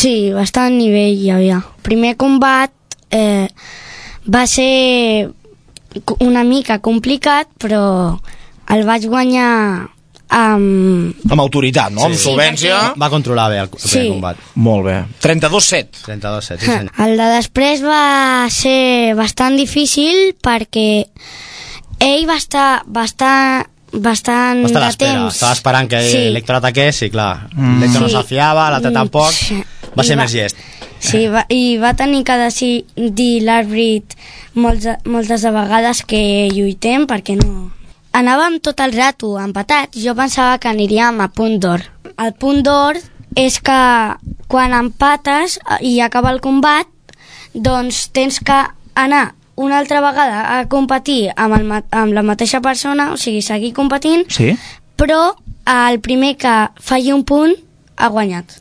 Sí, bastant nivell hi havia. El primer combat va ser una mica complicat, però el vaig guanyar amb autoritat, no? Amb solvència. Va controlar bé el primer combat. Molt bé. 32-7. 32-7, sí senyor. El de després va ser bastant difícil perquè ell va estar bastant de temps. Estava esperant que l'Héctor ataqués i clar, l'Héctor no s'afiava, l'altre tampoc, va ser més llest. Sí, i va tenir que decidir l'àrbit moltes de vegades que lluitem perquè no... Anàvem tot el rato empatats, jo pensava que aniríem a punt d'or. El punt d'or és que quan empates i acaba el combat, doncs tens que anar una altra vegada a competir amb la mateixa persona, o sigui, seguir competint, sí? però el primer que falli un punt ha guanyat.